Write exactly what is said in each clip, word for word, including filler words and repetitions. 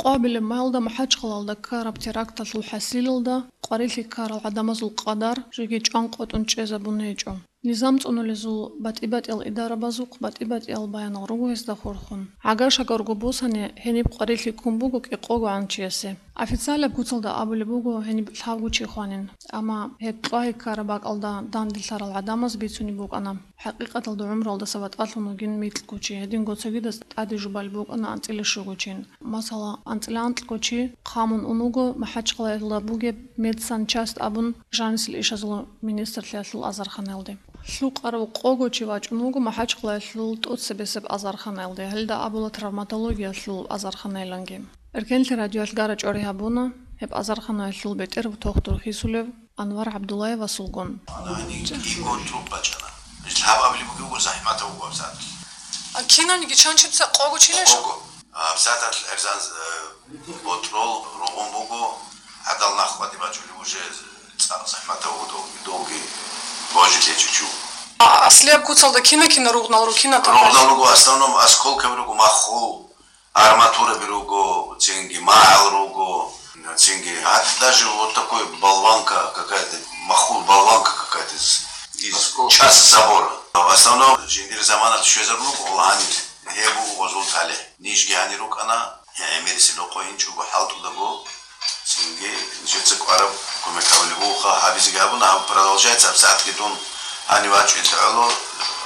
Къоабилеб майилда МахӀачхъалаялда ккараб теракталъул хӀасилалда къварилъи ккарал гӀадамазул къадар жеги чӀванкъотӀун чӀезабун гьечӀо. Низам цӀунулезул батӀи-батӀиял идарабазухъ батӀи-батӀиял баянал руго гьезда хурхун. ГӀагар-шагарго босани, гьениб къварилъи ккун буго кӀикъого гӀанчиясе. Официалаб куцалда абулеб буго гьениб лъабго чи хванин. Амма гьеб кьвагьи ккараб бакӀалда данделъарал гӀадамаз бицунеб букӀана. ХӀакъикъаталда гӀумруялдаса ватӀалъун вугин микьго чи, гьединго цогидаз тӀаде жубалеб букӀана анцӀила щуго чин. Масала, анцӀила анкьго чи хъамун ун вуго МахӀачхъалаялда бугеб медсанчасть абун жанисел ишазул министрлъиялъул азарханаялде. Лъукъарав къого чи вачӀун вуго МахӀачхъалаялъул тӀоцебесеб азарханаялде, гьелда абула травматологиялъул азарханаяланги. Эркенлъи радиоялъ гара-чӀвари гьабуна гьеб азарханаялъул бетӀер тухтур хисулев Анвар ГӀабдуллаевасулгун. Ана гьаниб кӀиго труб бачӀана. Лъабабли бугеб захӀматав вуго абсат. А кинабниги чанчебца къого чилищ? Къого. Абсаталъ гӀерзан, э, ботрол ругъун буго, гӀадал нах къватӀи бачӀули уже цӀакъ захӀматав вуго, долги божи лъечӀичу. А аслияб куцалда кина-кина ругънал ругина? Ругънал руго, в основном осколкаби руго, маххул, арматураби руго, цинги магӀал руго, цинги гьатӀ даже вот такой болванка какая-то, маххул болванка какая-то из, из Осколки. Часть забора. В основном жиндир замана тушезаб руго, гьанир гьеб буго гъозул талихӀ. Нижги гьанир рукӀана, гӀемерисел рокъой инчӀого хӀалтӀудаго, цинги нижеца кӀвараб кумек гьабулеб бугоха, гьабизеги гьабуна, гьаб продолжается, абсатги дун гьанив вачӀунелъ гӀоло,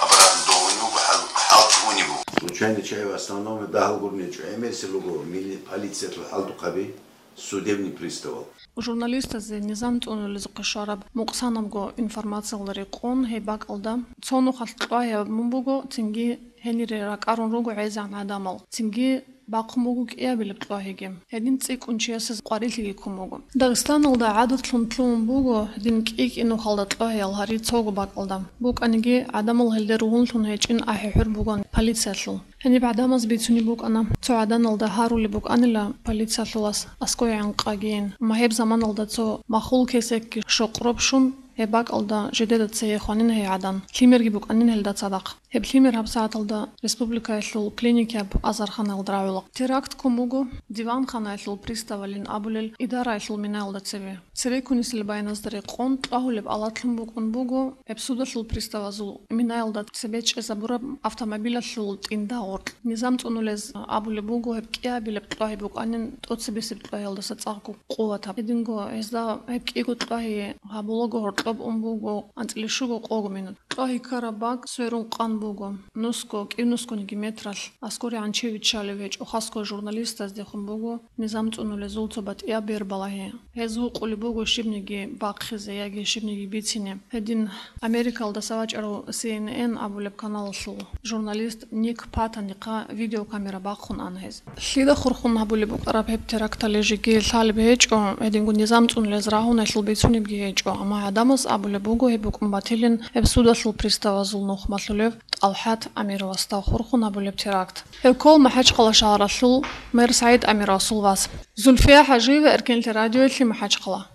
обратно довунев вуго, хӀал-, хӀалтӀи унев вуго. Случайно чай в основном дагьал гурнечӀо, гӀемерисел руго мили-, полициялъул хӀалтӀухъаби, судебный приставал. Журналистазе низам цӀунулезухъе щвараб мукъсанабго информациялда рекъон гьеб бакӀалда цо нухалъ кьвагьи гьабун буго, цинги гьенире ракӀарун руго гӀезегӀан гӀадамал, цинги бахъун буго кӀиабилеб кьвагьиги. Гьедин цӀикӀкӀун чиясе къварилъиги ккун буго. Дагъистаналда гӀадатлъун лъугьун буго гьедин кӀи-кӀи нухалда кьвагьиял гьари цого бакӀалда. БукӀаниги, гӀадамал гьелде ругьунлъун гьечӀин ахӀи-хӀур бугоан полициялъул. Гьениб гӀадамаз бицунеб букӀана, цо гӀаданалда гьарулеб букӀанила полициялъулас аскӀой гӀанкъагийин, амма гьеб заманалда цо махул кесекги щокъ робшун, гьеб бакӀалда жидеда цее хванин гьей гӀадан, лъимерги букӀанин гьелда цадахъ. Гьеб лъимер гьабсагӀаталда республикаялъул клиникияб азарханаялда рагӀула. Теракт ккун буго диванханаялъул приставалин абулел идараялъул минаялда цеве. Церекунисел баяназда рекъон, кьвагьулеб алатлъун букӀун буго гьеб судалъул приставазул минаялда цебе чӀезабураб автомобилалъул тӀинда гъоркь. Низам цӀунулез абулеб буго, гьеб кӀиабилеб кьвагьи букӀанин тӀоцебесеб кьвагьиялдаса цӀакъго къуватаб. Гьединго гьезда гьеб кӀиго кьвагьи гьабулаго гьоркьоб ун буго анцӀила щуго къого минут. Кьвагьи ккараб бакӀ сверун къан буго. Нусго, кӀив нусгониги метралъ аскӀор гӀанчи виччалев гьечӀо, хасго журналистаздехун буго. Низам цӀунулезул цо батӀияб бер балагьи. Гьез вукъулеб буго щибниги бахъизе яги щибниги бицине. Гьедин Америкалдаса вачӀарав Си Эн Эн абулеб каналалъул журналист Ник Патанихъа видеокамера бахъун ана гьез. Лъида хурхун гьабулеб букӀараб гьеб теракталъе жеги лъалеб гьечӀо, гьединго низам цӀунулез рагьунаялъул бицунебги гьечӀо, амма гӀадамаз абулеб буго гьеб букӀун батилин гьеб судалъул приставазул нухмалъулев ТӀалхӀат Амировасда хурхун гьабулеб теракт. Гьеб ккола МахӀачхъала шагьаралъул мэр СагӀид Амировасул вас. Зульфия ХӀажиева, Эркенлъи радиоялъе, МахӀачхъала.